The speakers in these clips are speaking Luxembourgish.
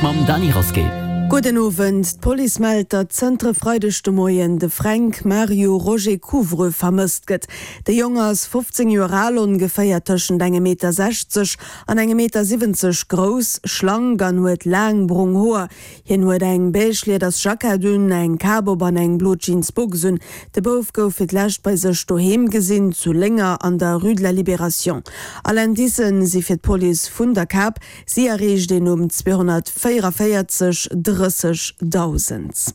mam Dany Rasqué. Gudden Owend. D'Police mellt, datt zënter e Freideg de Moien de Fränk Mario Roger Couvreux vermësst gëtt. De Jong ass 15 Joer al, ongeféier tëschent engem Meter 60 an engem Meter 70 grouss, schlank an huet laang brong Hoer. Hien huet eng beige lieders Jackett un, eng Kap op an eng blo Jeans Box un. De Bouf gouf fir d'lescht bei sech doheem gesinn, zu Lénger an der Rue de la Libération. All Indicen si fir d'Police vun der Kap. Si erreecht een um 244 30 1.000.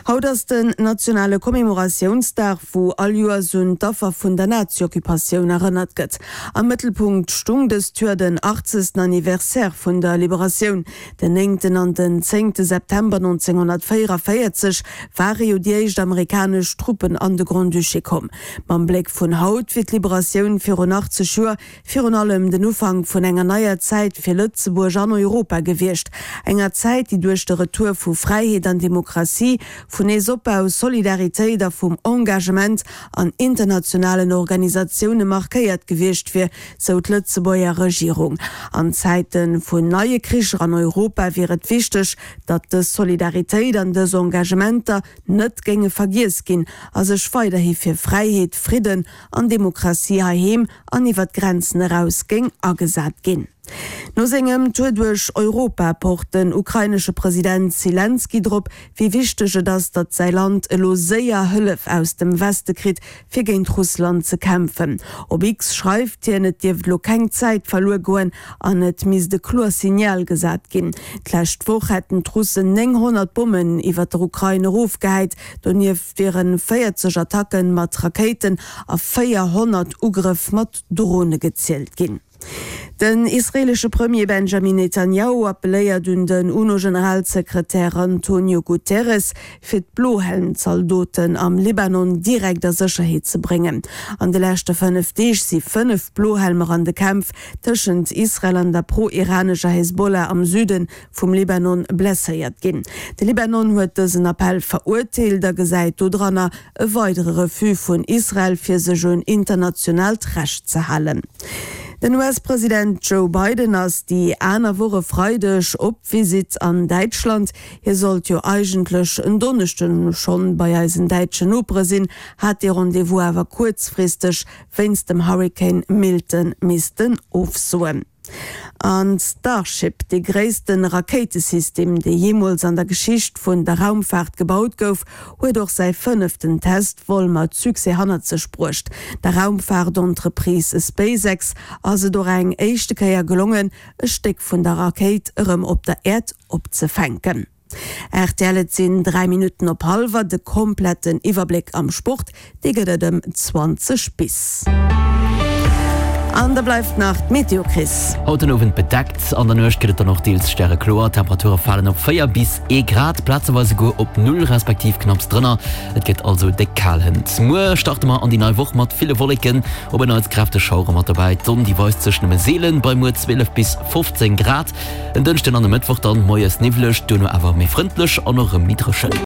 Haut ass den nationale Commemoratiounsdag, wou all Joers un d'Affer vun der Nazioccupatioun erënnert gëtt. Am Mëttelpunkt stung dëst Joer den 80. Anniversaire vun der Liberatioun. Den néngten an den zéngte September 1944 ware jo déi éischt amerikanesch Truppen an de Grand-Duché komm. Mam Bléck vun haut wier d'Liberatioun virun 80 Joer Virun allem den Ufank vun enger neier Zäit fir Lëtzebuerg an Europa gewiescht, enger Zäit, déi duerch de Retour vu Fräiheet an Demokratie, vun Neesopbau, Solidaritéit a vum Engagement an internationalen Organisatioune markéiert gewiescht wier, sou d'Lëtzebuerger Regierung. An Zäite vun neie Kricher an Europa wier et wichteg, datt dës Solidaritéit an dës Engagementer net géinge vergiess ginn a sech weiderhi fir Fräiheet, Fridden an Demokratie heiheem an iwwer d'Grenzen eraus géing agesat ginn. No sengem Tour duerch Europa pocht den ukrainesche President Selenskyj drop, wéi wichteg et ass, datt säi Land elo séier Hëllef aus dem Weste kritt, fir géint Russland ze kämpfen. Op X schreift hien, et dierft elo keng Zäit verluer goen an et misst e kloer Signal gesat ginn. D'lescht Woch hätten d'Russen 900 Bommen iwwer der Ukrain erofgehäit. Donieft wieren 40 Attacke mat Rakéiten a 400 Ugrëff mat Drone gezielt ginn. Den israeelesche Premier Benjamin Netanjahu appelléiert un den UNO-Generalsekretär Antonio Guterres, fir d'Blohelm-Zaldoten am Libanon direkt a Sécherheet ze bréngen. An de leschte 5 Deeg si 5 Blohelmer an de Kämpf tëschent Israel an der pro-iranescher Hezbollah am Süde vum Libanon blesséiert ginn. De Libanon huet dësen Appell verurteelt a gesäit dodranner e weidere Refus vun Israel fir sech un internationaalt Recht ze halen. Den US-President Joe Biden ass déi aner Woch e Freideg op Visitt an Däitschland. Hie sollt jo eigentlech en Donneschden schonn bei eisen däitschen Nopere sinn, hat dee Rendez-vous awer kuerzfristeg wéinst dem Hurrikan Milton missten ofsoen. An Starship, dee gréisste Rakéitesystem, dee jeemools an der Geschicht vun der Raumfaart gebaut gouf, huet och säi fënneften Testvol mat Succès hannert sech bruecht. Der Raumfaartentreprise SpaceX ass et och eng éischte Kéier gelongen, e Stéck vun der Rakéit erëm op der Äerd opzefänken. Rtl, Et sinn 3 Minutten op hallwer. De kompletten Iwwerbléck am Sport, dee gëtt et ëm 20 bis. An da bleift nach d'Meteo, Chris. Haut den Owend bedeckt, an der Nuecht gëtt et dann och deels stärekloer. D'Temperature falen op 4 bis ee Grad, plazeweis esouguer op Null respektiv knapps drënner. Et gëtt also déck kal hënt. Muer starte mer an déi nei Woch mat ville Wolleken, op en Neits kräfteg Schauere mat dobäi. D'Sonn, déi weist sech nëmme seelen, bei muer 12 bis 15 Grad. En Dënschden an e Mëttwoch dann moies niwwleg, duerno awer méi frëndlech an och erëm méi dréchen.